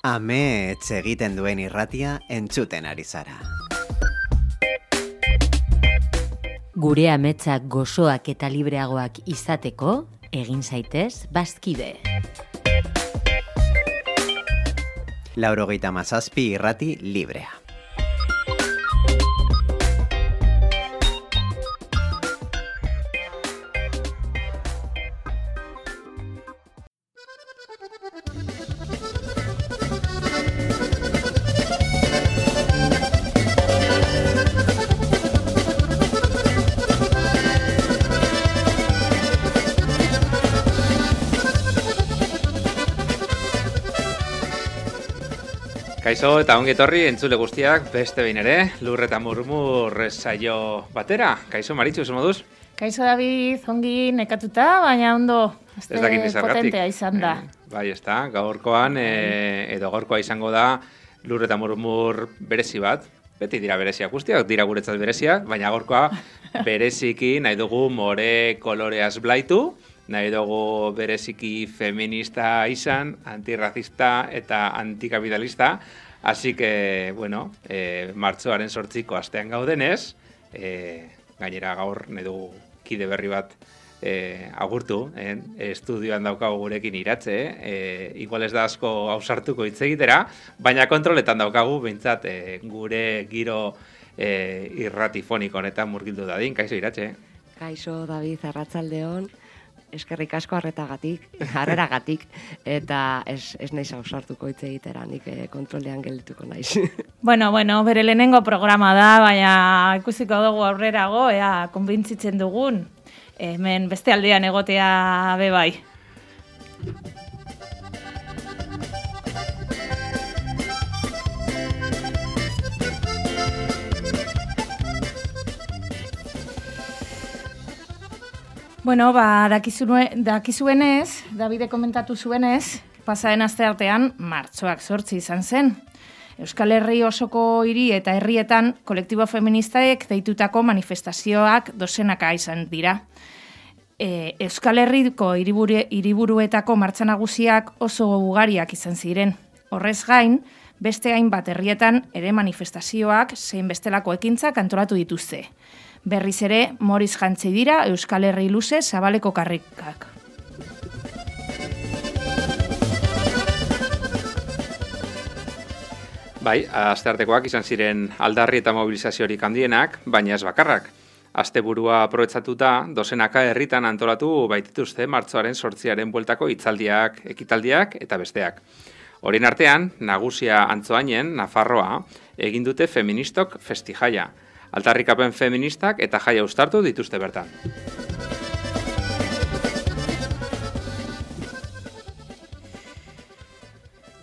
Amets egiten duen irratia entzuten ari zara. Gure ametsak gozoak eta libreagoak izateko, egin zaitez bazkide. 97 irrati librea. Kaixo eta ongi etorri entzule guztiak beste behin ere, Lur eta Murmur saio batera. Kaixo Maritxu, zer moduz? Kaixo David, ongi nekatuta, baina ondo potentea izan da. Bai, ezta, gaurkoan edo gaurkoa izango da Lur eta Murmur berezi bat. Beti dira bereziak guztiak, dira guretzat bereziak, baina gaurkoa bereziki nahi dugu more koloreaz blaitu. Nahi dugu bereziki feminista izan, antirrazista eta antikapitalista. Así que, bueno, martxoaren 8ko astean gaudenez, gainera gaur nahi dugu kide berri bat agurtu, estudioan daukagu gurekin iratze, igual ez da asko ausartuko hitz egitera, baina kontroletan daukagu, behintzat gure giro irratifoniko honetan murgildu dadin. Kaixo iratze. Kaixo David, arratsaldeon. Eskerrik asko harreragatik, eta ez naiz ausartuko hitz egitera, nik kontrolean geldituko naiz. Bueno, bere lehenengo programa da, baina ikusiko dugu aurrerago, ea konbintzitzen dugun, hemen beste aldean egotea be bai. Bueno, dakizuenez, Davide komentatu zuenez, pasaren asteartean martxoak 8 izan zen. Euskal Herri osoko hiri eta herrietan kolektibo feministaek deitutako manifestazioak dozenaka izan dira. Euskal Herriko hiriburuetako martxa nagusiak oso ugariak izan ziren. Horrez gain, beste hainbat herrietan ere manifestazioak zein bestelako ekintzak antolatu dituzte. Berriz ere, moriz jantzi dira Euskal Herri luze zabaleko karrikak. Bai, asteartekoak izan ziren aldarri eta mobilizaziorik handienak, baina ez bakarrak. Asteburua aprobetxatuta, dozenaka herritan antolatu baitituzte martxoaren 8aren bueltako hitzaldiak, ekitaldiak eta besteak. Horien artean, nagusia Antzoainen, Nafarroa, egin dute feministok festijaia. Aldarrikapen feministak eta jaia uztartu dituzte bertan.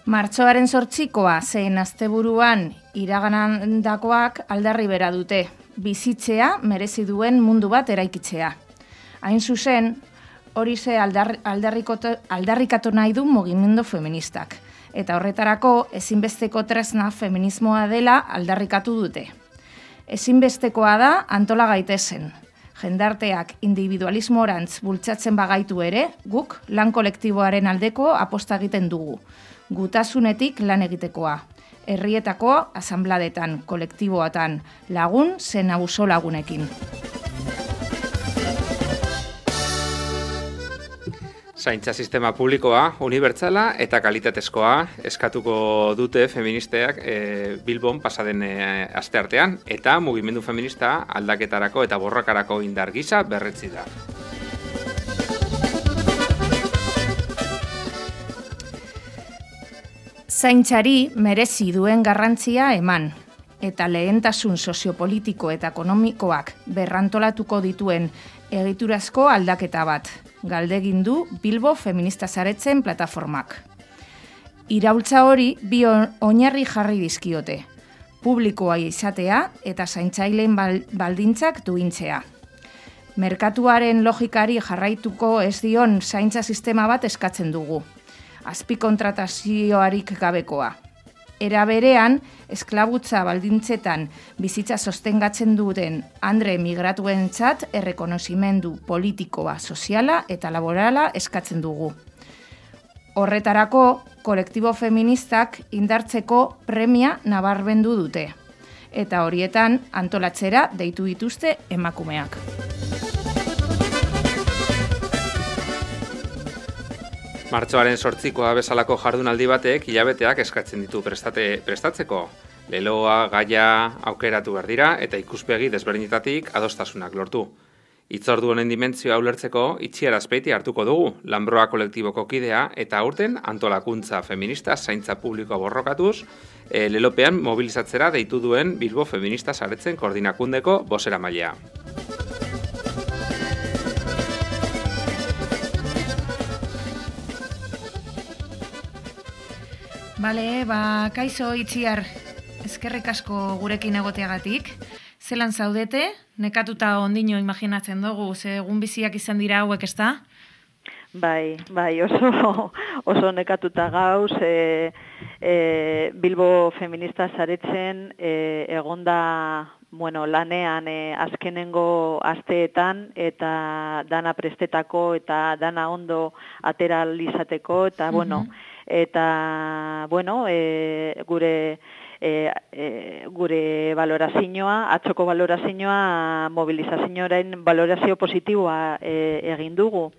Martxoaren 8koa zein asteburuan iragandakoak aldarri bera dute, bizitzea merezi duen mundu bat eraikitzea. Hain zuzen, hori ze aldarrikatu nahi du mugimendu feministak, eta horretarako ezinbesteko tresna feminismoa dela aldarrikatu dute. Ezinbestekoa da antola gaitezen. Jendarteak individualismorantz bultzatzen bagaitu ere, guk lan kolektiboaren aldeko aposta egiten dugu. Gutasunetik lan egitekoa. Herrietako asanbladetan, kolektiboatan, lagun zen abuso lagunekin. Zaintza sistema publikoa, unibertsala eta kalitatezkoa eskatuko dute feministeak Bilbon pasaden asteartean, eta mugimendu feminista aldaketarako eta borrokarako indar gisa berretsi da. Zaintzari merezi duen garrantzia eman, eta lehentasun soziopolitiko eta ekonomikoak berrantolatuko dituen egiturazko aldaketa bat. Galdegin du Bilbo Feminista Zaretzen plataformak. Iraultza hori bi oinarri jarri dizkiote. Publikoa izatea eta zaintzaileen baldintzak duintzea. Merkatuaren logikari jarraituko ez dion zaintza sistema bat eskatzen dugu. Azpikontratazioarik gabekoa. Era berean, esklabutza baldintzetan bizitza sostengatzen duten andre migratuentzat errekonozimendu politikoa, soziala eta laborala eskatzen dugu. Horretarako, kolektibo feministak indartzeko premia nabarmendu dute. Eta horietan antolatzera deitu dituzte emakumeak. Martxoaren 8koa bezalako jardunaldi batek hilabeteak eskatzen ditu prestatzeko. Leloa, gaia, aukeratu behar dira eta ikuspegi desberdinetatik adostasunak lortu. Hitzordu honen dimentzioa ulertzeko Itziar Azpeiti hartuko dugu, Lanbroa kolektiboko kidea eta aurten antolakuntza feminista zaintza publikoa borrokatuz, lelopean mobilizatzera deitu duen Bilbo Feminista Saretzen koordinakundeko bozeramailea. Bale, kaixo Itziar, eskerrik asko gurekin egoteagatik. Zelan zaudete? Nekatuta ondino imaginatzen dugu, ze egun biziak izan dira hauek, ezta? Bai, oso nekatuta gauz, Bilbo Feminista Saretzen egonda lanean azkenengo asteetan eta dana prestetako eta dana ondo atera izateko eta gure valorazioa, atzoko valorazioa, mobilizazioaren valorazio positiboa egin dugu.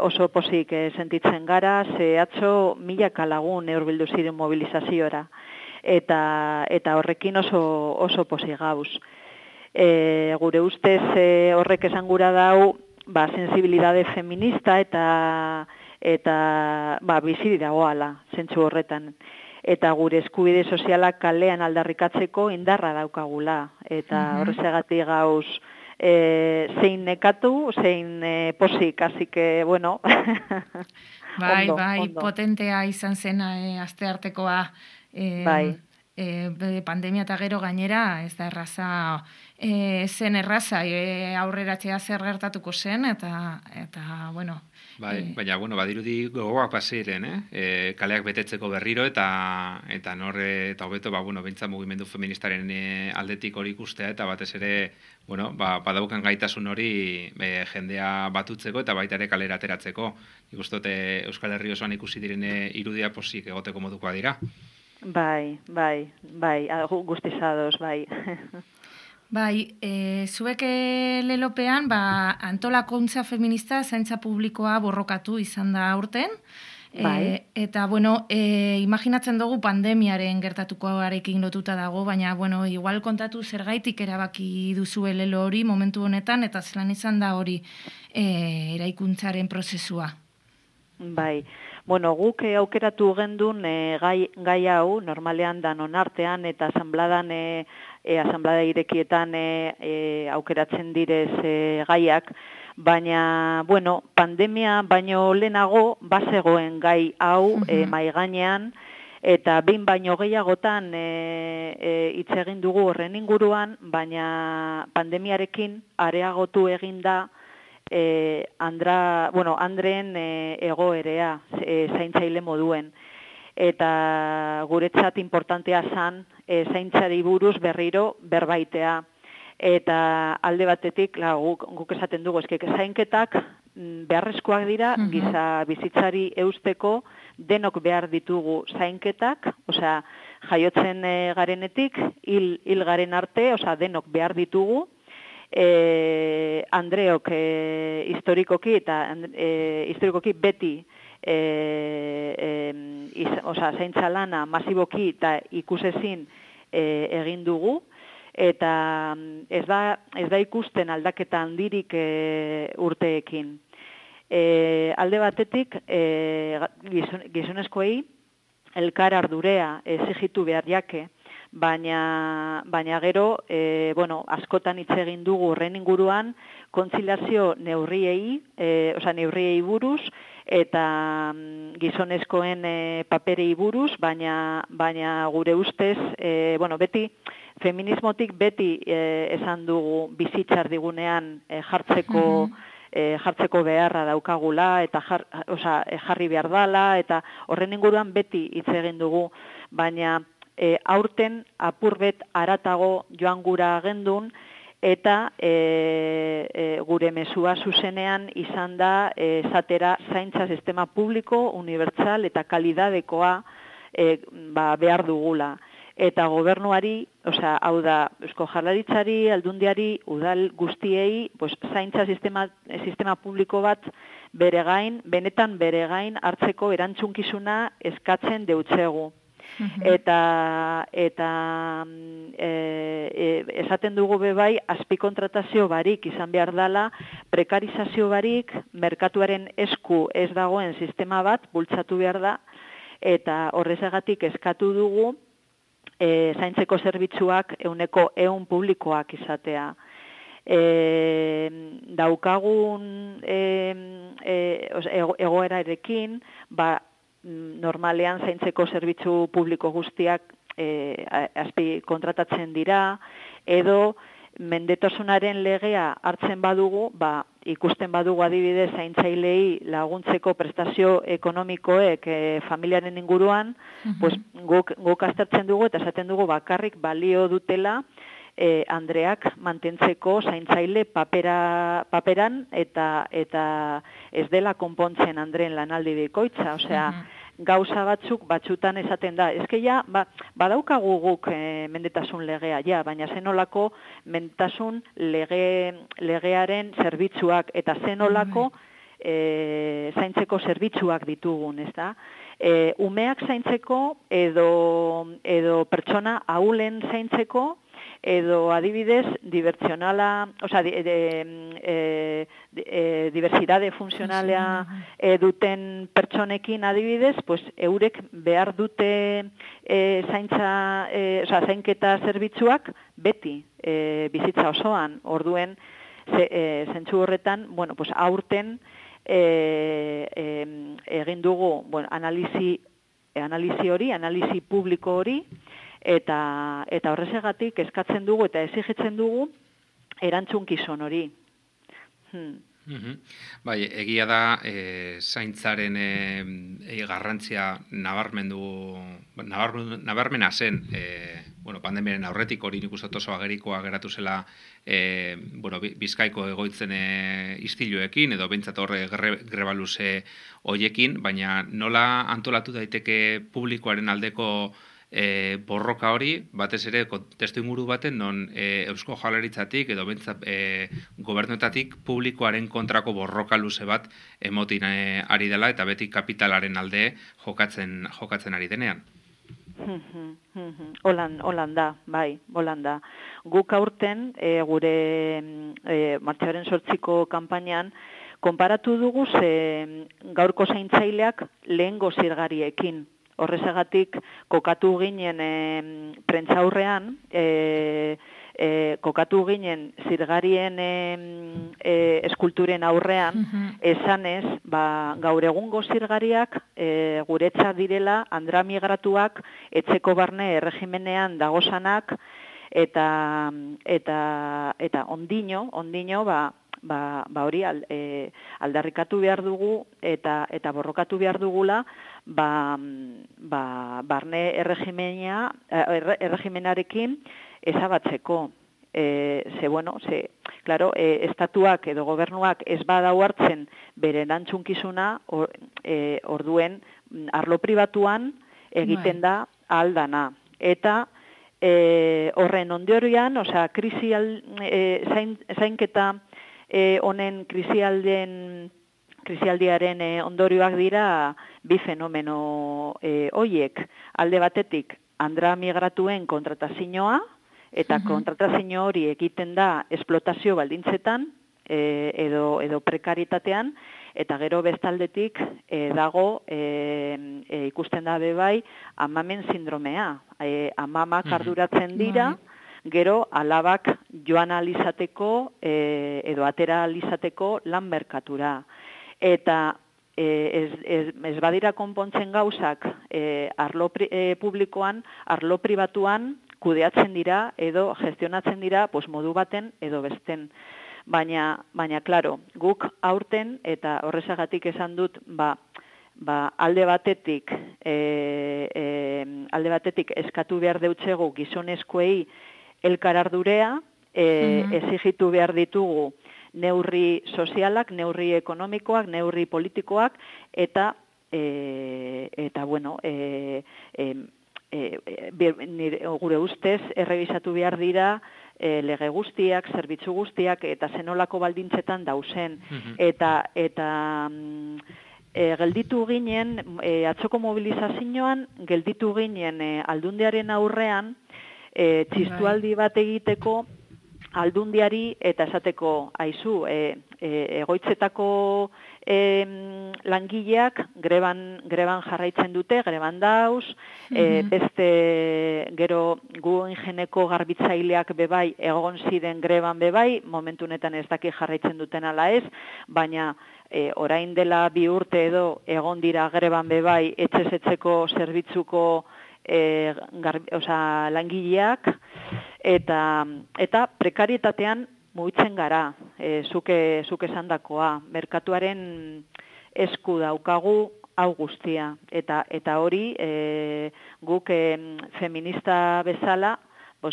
Oso pozik sentitzen gara, ze atzo 1000 lagun hurbildu ziren mobilizaziora. Eta horrekin oso pozik gauz. Gure ustez horrek esan gura dau, sensibilidade feminista eta bizi dagoala, zentzu horretan. Eta gure eskubide sozialak kalean aldarrikatzeko indarra daukagula. Eta horrezegatik gauz zein nekatu, zein posik, así que, bueno. Ondo. Potentea izan zen asteartekoa. Pandemia eta gero gainera, ez da erraza, zen erraza, aurreratzea zer gertatuko zen, eta bueno. Baina, badirudi gogoak pasiren, kaleak betetzeko berriro, eta eta hobeto, bentsa mugimendu feministaren aldetik hori ikustea, eta batez ere, badaukan gaitasun hori jendea batutzeko, eta baita ere kalera ateratzeko. Ikustote Euskal Herri osoan ikusi diren irudia posik egoteko modukoa dira. Bai, guztizados, bai. Zuek lelopean antolakuntza feminista zaintza publikoa borrokatu izan da aurten. Eta, imaginatzen dugu pandemiaren gertatukoarekin lotuta dago, baina, igual kontatu zergaitik erabaki duzue lelo hori momentu honetan, eta zelan izan da hori eraikuntzaren prozesua. Bai. Guk aukeratu gendun gai hau, normalean danon artean eta asamblada irekietan aukeratzen direz gaiak, baina, pandemia baino lehenago bazegoen gai hau maigainean, eta behin baino gehiagotan hitz egin dugu horren inguruan, baina pandemiarekin areagotu egin da Andreen egoerea zaintzaile moduen. Eta guretzat importantea zan zaintzari buruz berriro berbaitea. Eta alde batetik, guk esaten dugu, zainketak beharrezkoak dira, giza bizitzari eusteko denok behar ditugu zainketak, jaiotzen garenetik, hil garen arte, denok behar ditugu, Andreok historikoki beti zaintza lana masiboki eta ikusezin egin dugu, eta ez da ikusten aldaketa handirik urteekin. Alde batetik gizonezkoei elkar ardurea exigitu behar jake, baina gero, askotan hitz egin dugu horren inguruan, kontziliazio neurriei buruz, eta gizonezkoen paperei buruz, baina gure ustez, beti, feminismotik beti esan dugu bizitzar digunean jartzeko beharra daukagula, eta jarri behar dala, eta horren inguruan beti hitz egin dugu, baina aurten apurbet aratago joan gura gendun, eta gure mezua zuzenean izan da esatera zaintza sistema publiko, unibertsal eta kalidadekoa behar dugula. Eta gobernuari, hau da, Eusko Jaurlaritzari, Aldundiari, udal guztiei, zaintza sistema publiko bat benetan bere gain hartzeko erantzunkizuna eskatzen deutzegu. Eta esaten dugu bebai, azpikontratazio barik izan behar dela, prekarizazio barik, merkatuaren esku ez dagoen sistema bat bultzatu behar da, eta horrezagatik eskatu dugu zaintzeko zerbitzuak 100% publikoak izatea. Daukagun egoerarekin, normalean zaintzeko zerbitzu publiko guztiak azpi kontratatzen dira, edo mendetasunaren legea hartzen badugu, ikusten badugu adibidez zaintzailei laguntzeko prestazio ekonomikoek familiaren inguruan, guk aztertzen dugu eta esaten dugu bakarrik balio dutela andreak mantentzeko zaintzaile paperan eta ez dela konpontzen andreen lanaldi bikoitza, gauza batzutan esaten da. Ez que ja, badaukagu guk mendetasun legea, baina zenolako mendetasun legearen zerbitzuak eta zenolako zaintzeko zerbitzuak ditugun, ez da? Umeak zaintzeko edo pertsona ahulen zaintzeko, edo adibidez, diversidade funtzionala duten pertsonekin adibidez, eurek behar dute zainketa zerbitzuak beti bizitza osoan, orduen zentzu horretan, aurten egin dugu analisi hori, analisi publiko hori, eta horrezegatik eskatzen dugu eta exigitzen dugu erantzunkizun hori. Bai, egia da zaintzaren garrantzia nabarmena zen, pandemiaren aurretik hori nik uste oso agerikoa geratu zela Bizkaiko egoitzen istiluekin, edo behintzat horre greba luze hoiekin, baina nola antolatu daiteke publikoaren aldeko borroka hori, batez ere testu inguru baten non Eusko Jaurlaritzatik edo bentsat gobernuetatik publikoaren kontrako borroka luze bat emotin ari dela eta beti kapitalaren alde jokatzen ari denean. Holanda, bai, Holanda. Guk aurten gure martxoaren 8ko kanpainan konparatu dugu gaurko zaintzaileak lehengo zirgariekin. Horrezagatik kokatu ginen prentsaurrean, kokatu ginen zirgarien eskulturen aurrean, esanez, gaur egungo zirgariak guretzat direla andra migratuak etxeko barne erregimenean dagozanak eta ondino hori aldarrikatu behar dugu eta borrokatu behar dugula barne erregimenarekin ezabatzeko. Estatuak edo gobernuak ez badau hartzen bere erantzunkizuna, orduen arlo pribatuan egiten da aldana. Eta horren ondorioan, zainketa honen krisialdiaren ondorioak dira bi fenomeno hoiek. Alde batetik, andra migratuen kontratazioa, eta kontratazio hori egiten da esplotazio baldintzetan edo prekaritatean, eta gero bestaldetik dago ikusten da bebai amamen sindromea. Amamak arduratzen dira, gero alabak joan alizateko edo atera alizateko lan merkatura. Eta ez badira konpontzen gauzak arlo publikoan, arlo pribatuan kudeatzen dira edo gestionatzen dira modu baten edo besten. Baina, klaro, guk aurten eta horrezagatik esan dut, alde batetik eskatu behar deutzego gizonezkoei elkar ardurea, exigitu behar ditugu neurri sozialak, neurri ekonomikoak, neurri politikoak, eta bueno, gure ustez, errebisatu behar dira lege guztiak, zerbitzu guztiak, eta zenolako baldintzetan dauzen. Eta gelditu ginen, atzoko mobilizazioan, gelditu ginen aldundiaren aurrean, txistualdi bat egiteko aldundiari eta esateko, aizu, egoitzetako langileak greban jarraitzen dute, greban dauz, beste gero gu ingeneko garbitzaileak bebai egon ziren greban bebai, momentu honetan ez daki jarraitzen duten ala ez, baina orain dela 2 urte edo egon dira greban bebai etxezetzeko zerbitzuko langileak, eta prekarietatean mugitzen gara, zuke esandakoa, merkatuaren esku daukagu hau guztia, eta hori guk feminista bezala,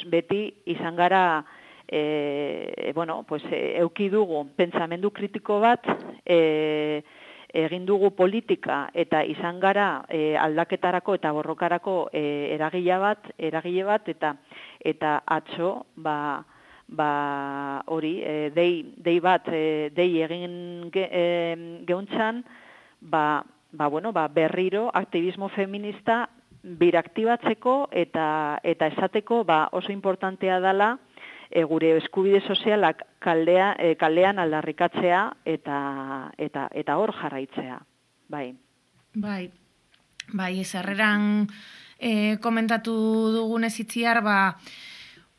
beti izan gara, euki dugu pentsamendu kritiko bat, egin dugu politika eta izan gara aldaketarako eta borrokarako eragile bat eta atzo hori dei egin geuntzan berriro aktivismo feminista biraktibatzeko eta esateko oso importantea dela gure eskubide sozialak kalean aldarrikatzea eta hor jarraitzea. Bai, sarreran komentatu dugunez itziar,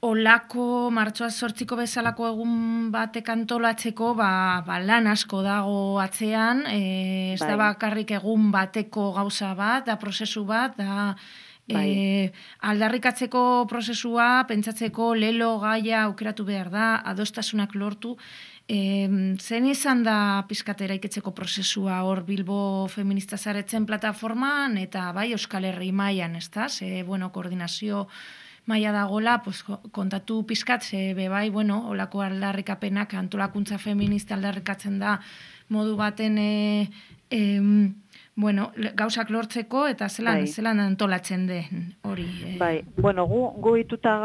olako martxoa 8ko bezalako egun batek antolatzeko lan asko dago atzean, ez da bakarrik egun bateko gauza bat, da prozesu bat, da aldarrikatzeko prozesua, pentsatzeko lelo gaia aukeratu behar da, adostasunak lortu. Zen izan da pizkat eraiketzeko prozesua hor Bilbo Feminista Zaretzen plataforman eta Euskal Herri mailan, ez da? Koordinazio maila dagoela, kontatu pizkat, olako aldarrikapenak, antolakuntza feminista aldarrikatzen da modu baten gauzak lortzeko eta zelan antolatzen den hori. Gu ohituta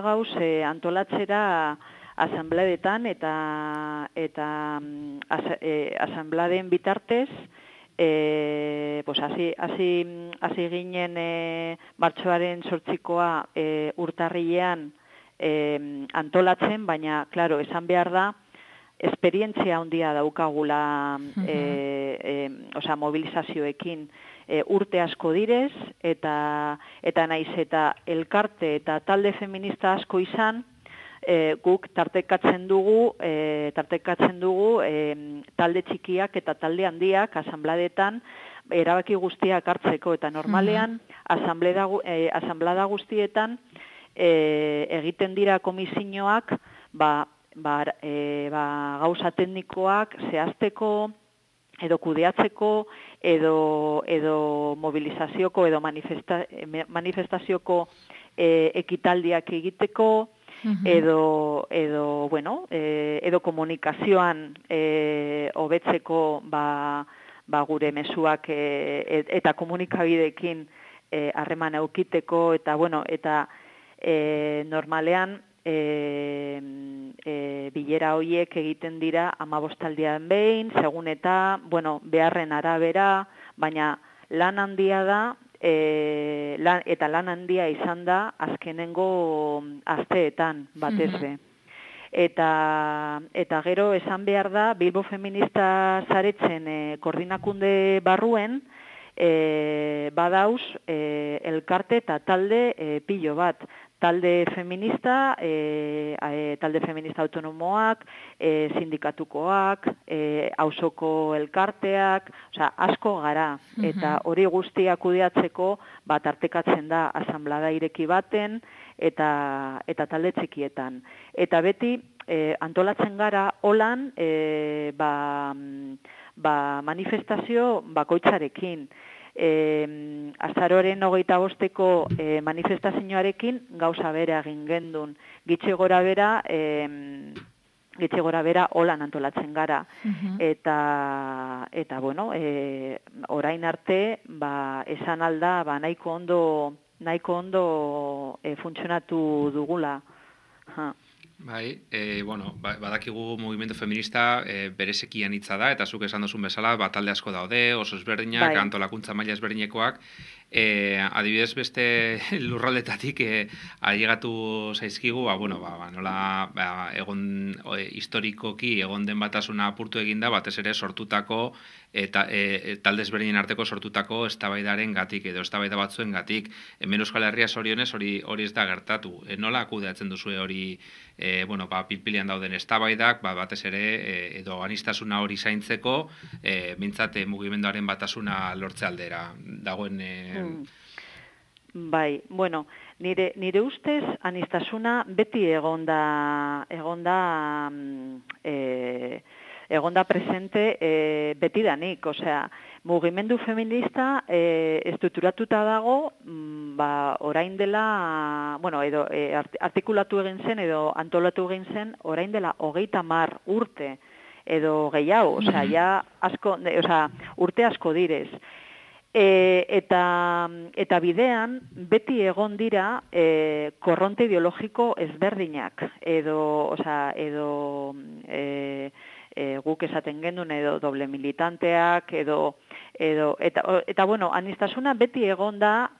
gauz antolatzera asanbladetan eta asanbladen bitartez hasi ginen martxoaren 8koa urtarrilean antolatzen, baina, klaro, esan behar da, esperientzia handia daukagula mobilizazioekin urte asko direz, eta naiz eta elkarte eta talde feminista asko izan, guk tartekatzen dugu talde txikiak eta talde handiak asanbladetan erabaki guztiak hartzeko, eta normalean asanblada guztietan egiten dira komisioak gauza teknikoak zehazteko edo kudeatzeko edo mobilizazioko edo manifestazioko ekitaldiak egiteko edo komunikazioan hobetzeko gure mezuak eta komunikabideekin harreman eukiteko eta normalean bilera horiek egiten dira 15 behin, segun eta, beharren arabera, baina lan handia da, eta lan handia izan da azkenengo asteetan, batez be. Eta gero esan behar da, Bilbo Feminista Zaretzen koordinakunde barruen, badauz elkarte eta talde pilo bat. Talde feminista autonomoak, sindikatukoak, auzoko elkarteak, asko gara. Eta hori guztia kudeatzeko tartekatzen da asanblada ireki baten eta talde txikietan. Eta beti antolatzen gara holan manifestazio bakoitzarekin. azaroren 25 manifestazioarekin gauza bera egin gendun. Gitxe gora bera holan antolatzen gara. Eta bueno, orain arte, esan alda, nahiko ondo funtzionatu dugula. Bai, badakigu mugimendu feminista berezekian hitza da, eta zuk esan duzun bezala, talde asko daude, oso ezberdinak, antolakuntza maila ezberdinekoak, adibidez beste lurraldetatik ailegatu zaizkigu, nola egon historikoki egon den batasuna apurtu eginda, batez ere sortutako eta talde ezberdinen arteko sortutako eztabaidaren gatik edo eztabaida batzuen gatik. Hemen Euskal Herria zorionez hori ez da gertatu. Nola kudeatzen duzue hori pilpilian dauden eztabaidak, batez ere edo aniztasuna hori zaintzeko, mintzat mugimenduaren batasuna lortze aldera dagoen. Bai, bueno, nire ustez aniztasuna beti egonda presente betidanik, osea, mugimendu feminista estrukturatuta dago, orain dela, edo artikulatu egin zen edo antolatu egin zen orain dela 30 urte edo gehiago, osea, urte asko direz. Eta bidean beti egon dira korronte ideologiko ezberdinak edo guk esaten gendun edo doble militanteak eta bueno, aniztasuna beti egonda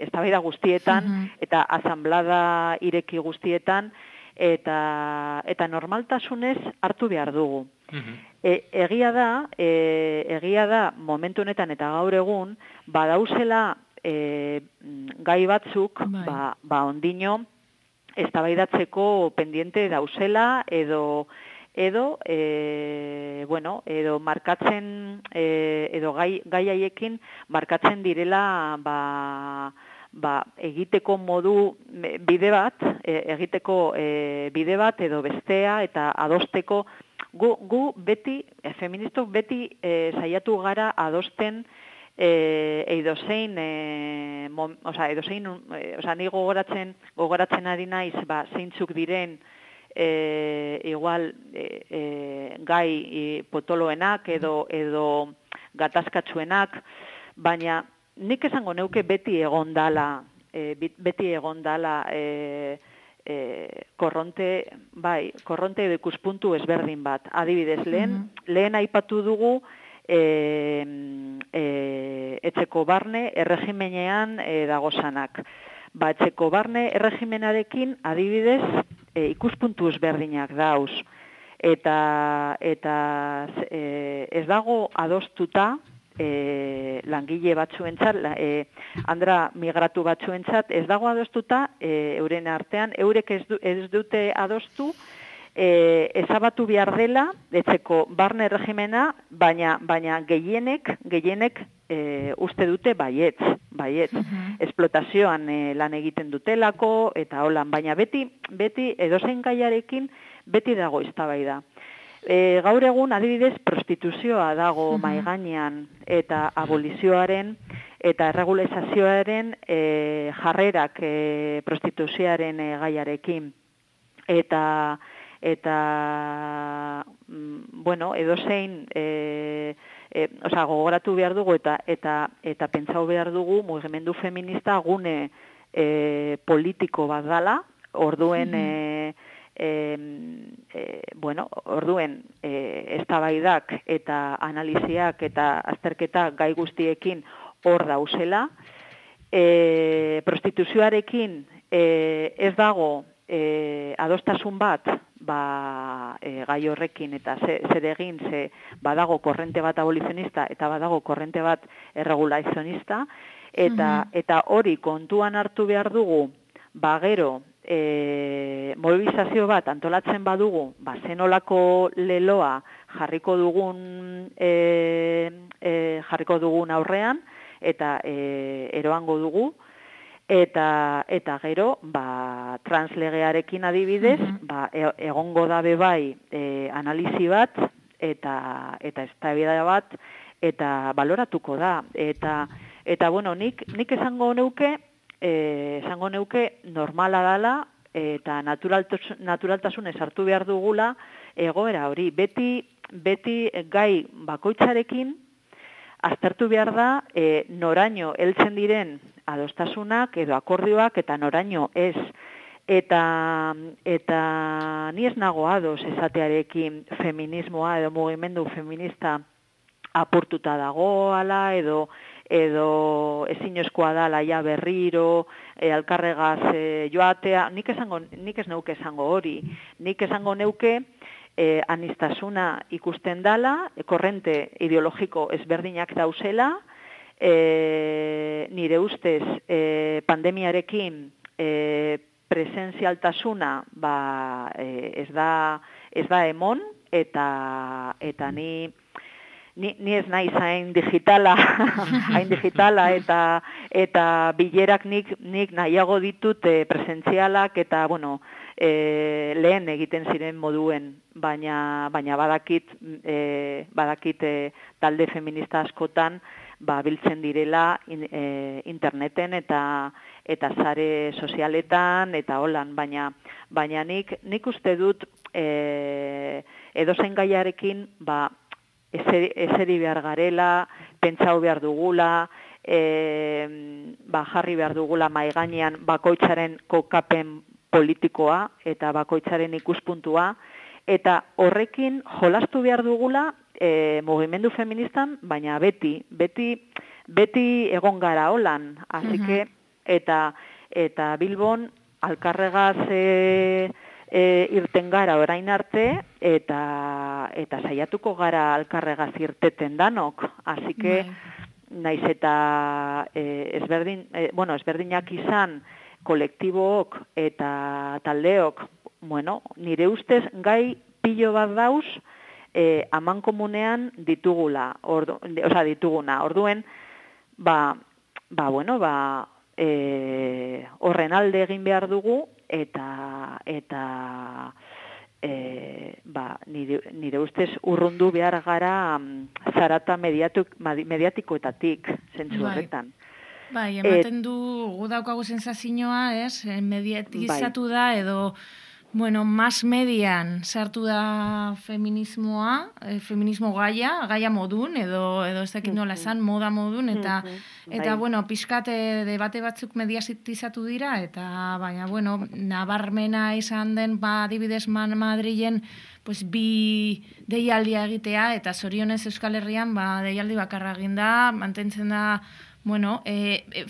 eztabaida guztietan eta asanblada ireki guztietan eta normaltasunez hartu behar dugu. Egia da momentu honetan eta gaur egun badauzela gai batzuk ondino eztabaidatzeko pendiente dauzela edo markatzen edo gai haiekin markatzen direla egiteko bide bat edo bestea eta adosteko gu beti feministok beti saiatu gara adosten ni gogoratzen ari naiz zeintzuk diren igual gai potoloenak edo gatazkatsuenak, baina nik esango neuke beti egon dala korronte edo ikuspuntu ezberdin bat. Adibidez, lehen aipatu dugu etxeko barne erregimenean dagozanak. Etxeko barne erregimenarekin adibidez ikuspuntu ezberdinak dauz. Eta ez dago adostuta langile batzuentzat, andra migratu batzuentzat, ez dago adostuta euren artean, eurek ez dute adostu ezabatu behar dela etxeko barne erregimena, baina gehienek uste dute baietz. Esplotazioan lan egiten dutelako eta holan, baina beti edozein gaiarekin beti dago eztabaida. Gaur egun adibidez prostituzioa dago mahai gainean eta abolizioaren eta erregulazioaren jarrerak prostituzioaren gaiarekin. Eta edozein gogoratu behar dugu eta pentsau behar dugu mugimendu feminista gune politiko bat dala, orduen eztabaidak eta analiziak eta azterketa gai guztiekin hor dauzela. Prostituzioarekin ez dago adostasun bat gai horrekin eta zer egin, badago korrente bat abolizionista eta badago korrente bat erregulazionista eta hori kontuan hartu behar dugu gero mobilizazio bat antolatzen badugu, zenolako leloa jarriko dugun aurrean eta eroango dugu. Eta gero, translegearekin adibidez, egongo dabe bai analizi bat, eta eztabaida bat, eta baloratuko da. Eta bueno, nik esango neuke normala dela, eta naturaltasunez hartu behar dugula egoera hori. Beti gai bakoitzarekin aztertu behar da noraino heltzen diren adostasunak edo akordioak eta noraino ez. Eta ni ez nago ados esatearekin feminismoa edo mugimendu feminista apurtuta dagoala edo ezinezkoa dala ja berriro, alkarregaz joatea, nik ez neuke esango hori. Nik esango neuke anistasuna ikusten dala, korrente ideologiko ezberdinak dauzela, nire ustez pandemiarekin presentzialtasuna ez da emon, eta ni ez naiz hain digitala, eta bilerak nik nahiago ditut presentzialak eta, bueno, lehen egiten ziren moduen, baina badakit talde feminista askotan biltzen direla interneten eta sare sozialetan eta holan, baina nik uste dut edozein gaiarekin eseri behar garela, pentsau behar dugula, jarri behar dugula mahai gainean bakoitzaren kokapen politikoa eta bakoitzaren ikuspuntua, eta horrekin jolastu behar dugula mugimendu feministan, baina beti egon gara holan, así que, eta Bilbon alkarregaz irten gara orain arte, eta saiatuko gara alkarregaz irteten danok, así que, naiz eta ezberdinak izan kolektibook eta taldeok, bueno, nire ustez gai pilo bat dauz amankomunean dituguna. Orduen, horren alde egin behar dugu, eta nire ustez urrundu behar gara zarata mediatikoetatik, zentzu horretan. Bai, ematen du gu daukagu sensazioa, mediatizatu da edo, bueno, mass median sartu da feminismo gaia modun, edo ez dakit nola esan, moda modun, eta bueno, pixkate debate batzuk mediatizatu dira, eta baina, bueno, nabarmena izan den, adibidez Madrilen, pues bi deialdia egitea, eta zorionez Euskal Herrian, deialdi bakarra egin da, mantentzen da, bueno,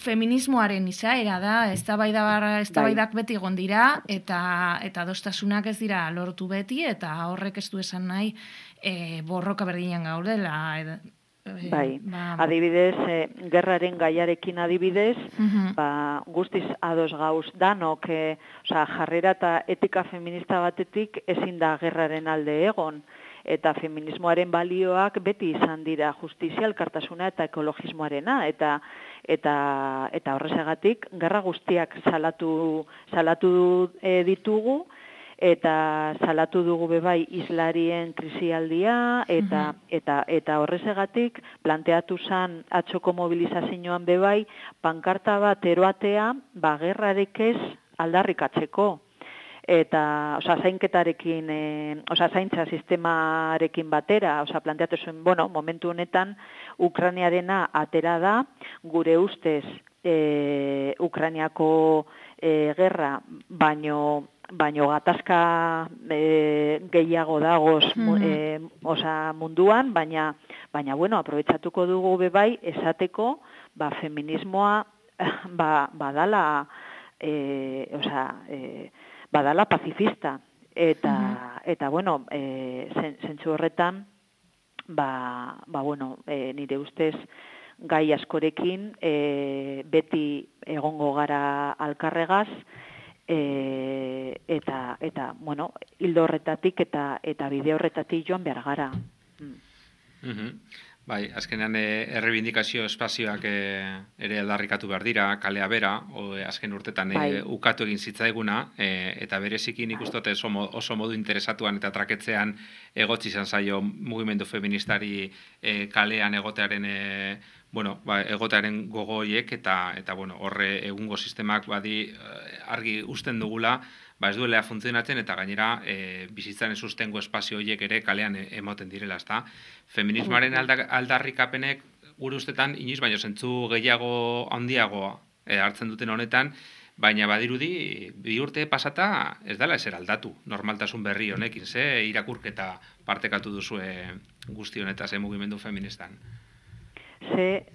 feminismoaren izaera da, eztabaidak beti egon dira, eta adostasunak ez dira lortu beti, eta horrek ez du esan nahi borroka berdinean gaudela. Bai, adibidez, gerraren gaiarekin adibidez, guztiz ados gauz danok, jarrera eta etika feminista batetik ezin da gerraren alde egon, eta feminismoaren balioak beti izan dira justizia, elkartasuna eta ekologismoarena, eta horrezagatik gerra guztiak salatu ditugu, eta salatu dugu bebai islarien krisialdia, eta horrezagatik planteatu zan atxoko mobilizazioan bebai pankarta bat eroatea, gerrarek ez aldarrikatzeko. Eta, zainketarekin, zaintza sistemarekin batera, planteatu zuen, bueno, momentu honetan, Ukrainiarena atera da, gure ustez, Ukrainiako gerra, baino gatazka gehiago dagoz munduan, baina, bueno, aprobetsatuko dugu bebai, esateko, feminismoa, badala pacifista, eta bueno, zentzu horretan, bueno, nire ustez gai askorekin beti egongo gara alkarregaz, eta bueno, hildo horretatik eta bide horretatik joan behar gara. Bai, azkenean errebindikazio espazioak ere aldarrikatu behar dira, kalea bera, azken urtetan ukatu egin zitzaiguna, eta bereziki nik uste oso modu interesatuan eta traketzean egotzi izan zaio mugimendu feministari kalean egotearen egotearen gogoiek eta horre egungo sistemak argi usten dugula, ez duela funtzionatzen eta gainera bizitzaren sustengo espazio horiek ere kalean emoten direla, ezta? Feminismoaren aldarrikapenek gure ustetan inoiz baino zentzu gehiago handiagoa hartzen duten honetan, baina badirudi 2 urte pasata ez dela ezer aldatu normaltasun berri honekin, ze irakurketa partekatu duzue guzti honetaz mugimendu feministan. Ze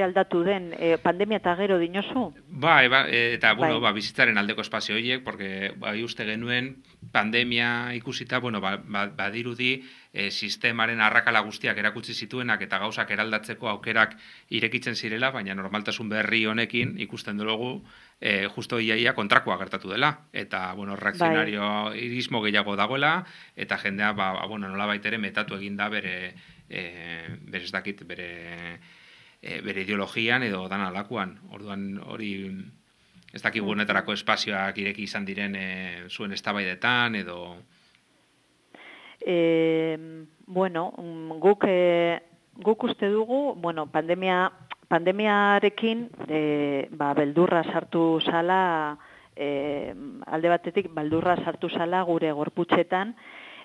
aldatu den, pandemia eta gero dinozu? Eta bizitzaren aldeko espazio horiek, porque uste genuen pandemia ikusita, badirudi sistemaren arrakala guztiak erakutsi zituenak eta gauzak eraldatzeko aukerak irekitzen zirela, baina normaltasun berri honekin ikusten dugu justo iaia kontrakoa gertatu dela. Eta, reakzionario irismo gehiago dagoela, eta jendea, nolabait ere metatu eginda bere ideologian edo dan alakuan. Orduan hori ez dakigu honetarako espazioak ireki izan diren zuen eztabaidetan edo... Guk uste dugu, pandemiarekin beldurra sartu zala, alde batetik beldurra sartu zala gure gorputzetan,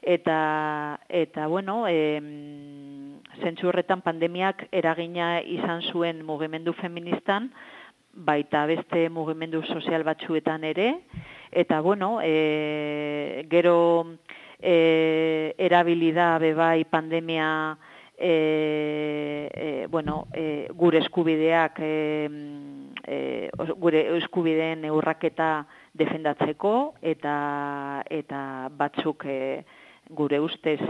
eta zentzu horretan pandemiak eragina izan zuen mugimendu feministan, baita beste mugimendu sozial batzuetan ere, eta gero erabilida bebai pandemia gure eskubideak gure eskubideen urraketa defendatzeko eta batzuk gure ustez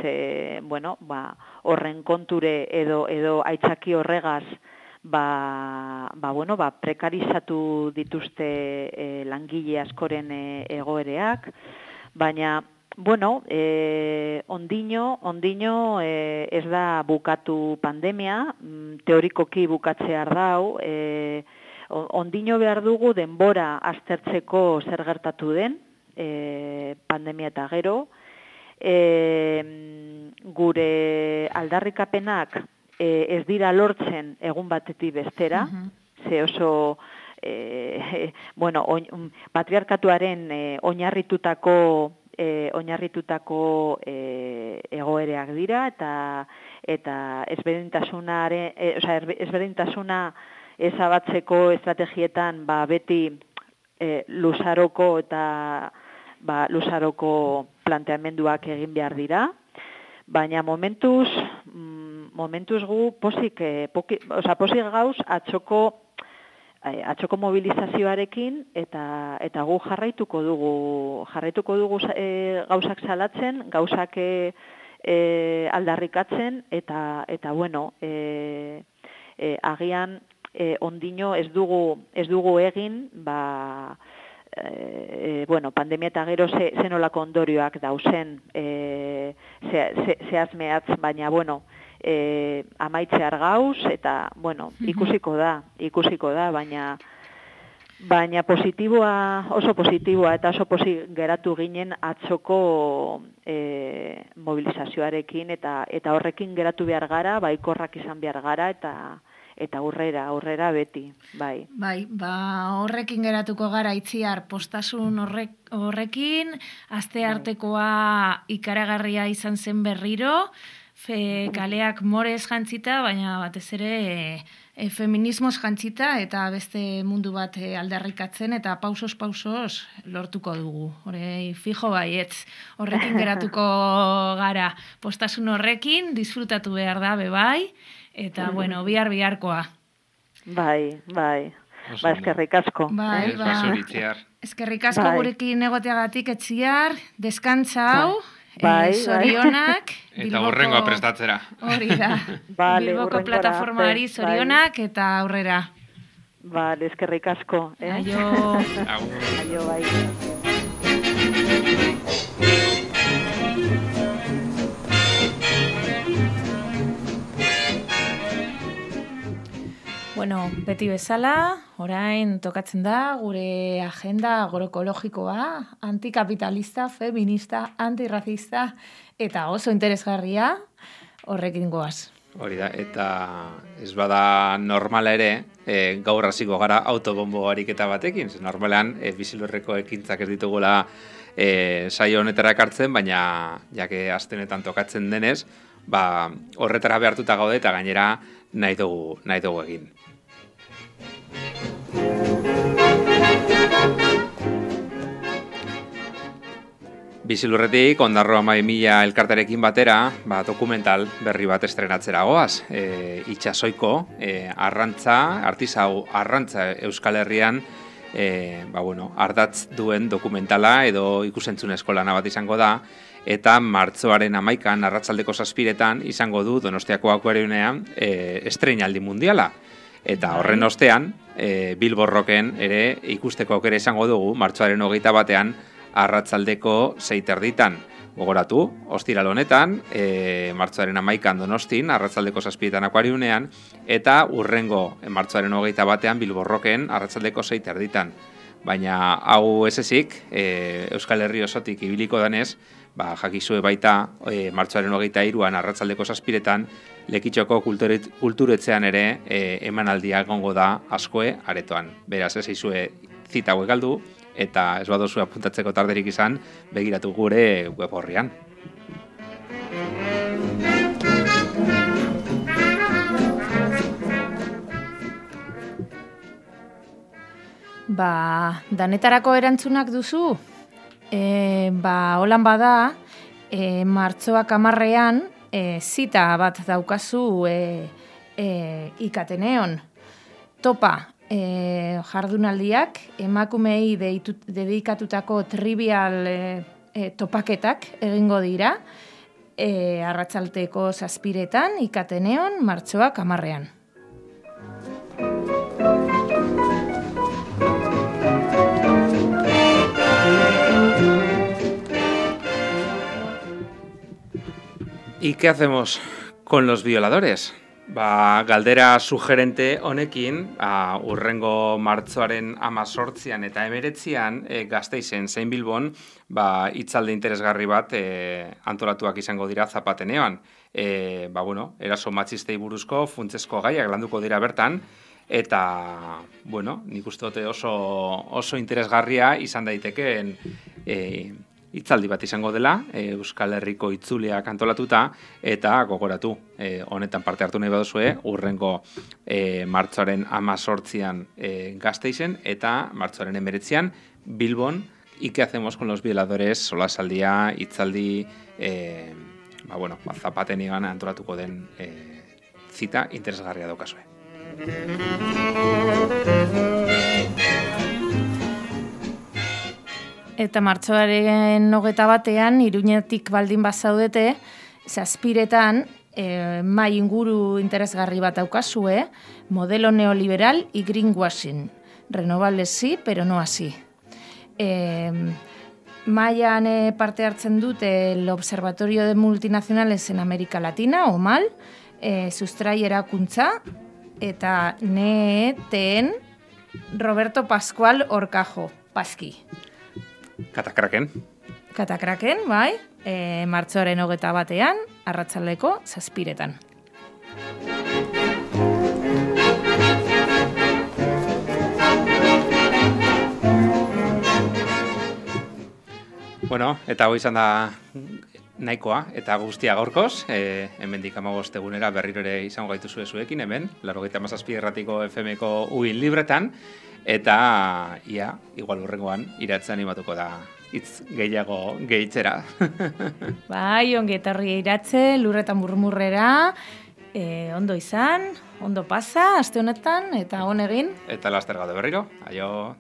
horren konture edo aitzaki horregaz prekarizatu dituzte langile askoren egoereak, baina ondino ez da bukatu pandemia, teorikoki bukatzear dau, ondino behar dugu denbora aztertzeko zer gertatu den, pandemia eta gero, gure aldarrikapenak ez dira lortzen egun batetik bestera, ze oso patriarkatuaren oinarritutako egoereak dira eta ezberdintasuna ezabatzeko estrategietan beti luzaroko eta luzaroko planteamenduak egin behar dira, baina momentuz gu pozik gauz atzoko mobilizazioarekin eta gu jarraituko dugu gauzak salatzen, gauzak aldarrikatzen eta agian ondino ez dugu egin pandemia eta gero zenolako ondorioak dauzen zehazmeatz, baina amaitzear gauz eta ikusiko da, baina oso positiboa eta oso pozik geratu ginen atzoko mobilizazioarekin eta horrekin geratu behar gara, baikorrak izan behar gara eta aurrera beti, bai. Bai, horrekin geratuko gara Itziar, postasun horrekin, aste artekoa ikaragarria izan zen berriro, kaleak morez jantzita, baina batez ere feminismoz jantzita eta beste mundu bat aldarrikatzen eta pausos lortuko dugu. Hore, fijo baietz, horrekin geratuko gara. Postasun horrekin, disfrutatu behar da, bebai, eta, biharkoa. Bai. Eskerrik asko. Bai. Eskerrik asko gurekin egoteagatik, Itziar, deskantza hau. Zorionak. Eta horrengoa prestatzera. Hori da. Bilboko plataformari zorionak eta aurrera. Eskerrik asko. Aio. Aio, bai. Bueno, beti bezala, orain tokatzen da gure agenda agroekologikoa, antikapitalista, feminista, antirrazista eta oso interesgarria horrekin goaz. Hori da, eta ez bada normala ere, gaur hasiko gara autobombo ariketa batekin. Normalean, Bizilurreko ekintzak ez ditugula saio honetara ekartzen, baina jake astenetan tokatzen denez, horretara behartuta gaude eta gainera nahi dugu egin. Bizilurretik, Ondarroa 12.000 elkartarekin batera, dokumental berri bat estrenatzera goaz. Itxasoiko artisau arrantza Euskal Herrian ardatz duen dokumentala edo ikusentzunezko lana bat izango da, eta martxoaren 11an arratsaldeko 7etan izango du Donostiako akuarionean estreinaldi mundiala. Eta horren ostean, Bilbo Rocken ere ikusteko aukera izango dugu martxoaren 21ean arratsaldeko 6:30. Gogoratu, ostiral honetan, martxoaren 11an Donostin, arratsaldeko 7etan akuarionean, eta urrengo martxoaren 21ean Bilbo Rocken arratsaldeko 6:30. Baina hau ez ezik, Euskal Herri osotik ibiliko danez, jakizue baita martxoaren 23an arratsaldeko 7etan Lekitxoko kulturetzean ere emanaldia egongo da askoe aretoan. Beraz, ez izue zita hauek galdu, eta ez badozu apuntatzeko tarderik izan, begiratu gure web horrian. Danetarako erantzunak duzu? Holan bada, martxoak 10ean zita bat daukazu ikateneon. Topa, jardunaldiak, emakumei dedikatutako trivial topaketak egingo dira, arratsaldeko 7etan ikateneon martxoak 10ean. ¿Y qué hacemos con los violadores? Galdera sugerente honekin, urrengo martxoaren 18an eta 19an Gasteizen zein Bilbon, hitzaldi interesgarri bat antolatuak izango dira Zapateneoan. Eraso matxistei buruzko funtsezko gaiak landuko dira bertan, eta, nik uste dute oso interesgarria izan daitekeen hitzaldi bat izango dela, Euskal Herriko itzuliak antolatuta, eta gogoratu, honetan parte hartu nahi baduzue, urrengo martxoaren 18an Gasteizen, eta martxoaren 19an Bilbon, ¿y qué hacemos con los violadores? Solasaldia, hitzaldi, Zapateneoan antolatuko den zita interesgarria daukazue. Eta martxoaren 21ean, Iruñetik baldin bazaudete, 7etan, mai inguru interesgarri bat daukazue, modelo neoliberal y greenwashing. Renovables sí, pero no así. Maian parte hartzen dute el Observatorio de Multinacionales en América Latina, OMAL, sustrai erakuntza, eta NEETen Roberto Pascual Orcajo, Paski. Katakraken, bai, martxoaren 21ean, arratsaldeko 7etan. Eta hau izan da nahikoa, eta guztia gaurkoz, hemendik 15 egunera berriro ere izango gaituzue zuekin, hemen, 97 irratiko FM-ko uin libretan, eta igual urrengoan iratzen animatuko da hitz gehiago gehitzera. Bai, ongi etorri iratze, lurretan murmurrera, ondo izan, ondo pasa, aste honetan, eta on egin. Eta laster gaude berriro, aio.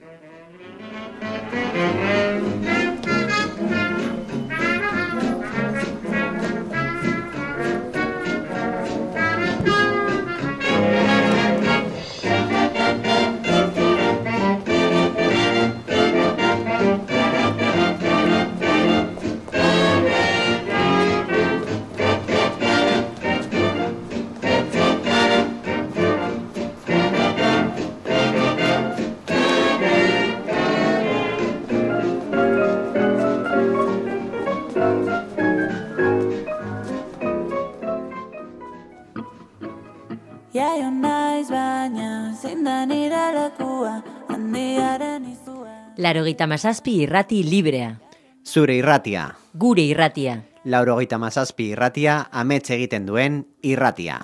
jaio naiz baina, zein da nire lekua, handiaren izua. 87 irrati librea. Zure irratia. Gure irratia. 87 irratia, amets egiten duen irratia.